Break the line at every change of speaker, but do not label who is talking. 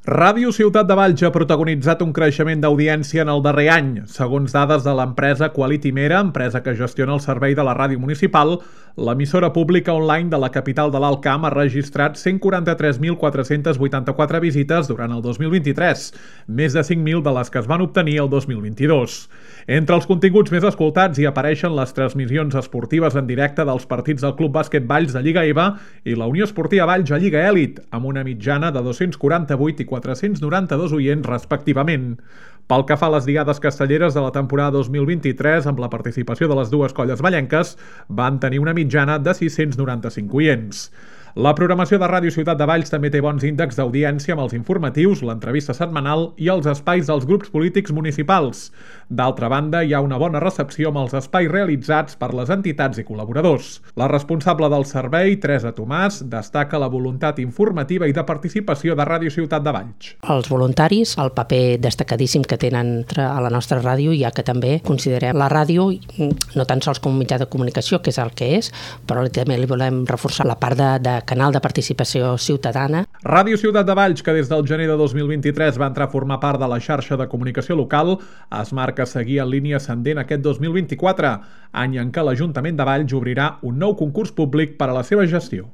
Ràdio Ciutat de Valls ha protagonitzat un creixement d'audiència en el darrer any. Segons dades de l'empresa Quality Mera, empresa que gestiona el servei de la ràdio municipal, l'emissora pública online de la capital de l'Alt Camp ha registrat 143.484 visites durant el 2023, més de 5.000 de les que es van obtenir el 2022. Entre els continguts més escoltats hi apareixen les transmissions esportives en directe dels partits del Club Bàsquet Valls de Lliga EVA i la Unió Esportiva Valls a Lliga Elit, amb una mitjana de 248 i 492 oients respectivament. Pel que fa a les diades castelleres de la temporada 2023, amb la participació de les dues colles vallenques, van tenir una mitjana de 695 oients. La programació de Ràdio Ciutat de Valls també té bons índexs d'audiència amb els informatius, l'entrevista setmanal i els espais dels grups polítics municipals. D'altra banda, hi ha una bona recepció amb els espais realitzats per les entitats i col·laboradors. La responsable del servei, Teresa Tomàs, destaca la voluntat informativa i de participació de Ràdio Ciutat de Valls.
Els voluntaris, el paper destacadíssim que tenen a la nostra ràdio, ja que també considerem la ràdio no tan sols com un mitjà de comunicació, que és el que és, però també li volem reforçar la part de canal de participació ciutadana.
Ràdio Ciutat de Valls, que des del gener de 2023 va entrar a formar part de la xarxa de comunicació local, es marca seguir en línia ascendent aquest 2024, any en què l'Ajuntament de Valls obrirà un nou concurs públic per a la seva gestió.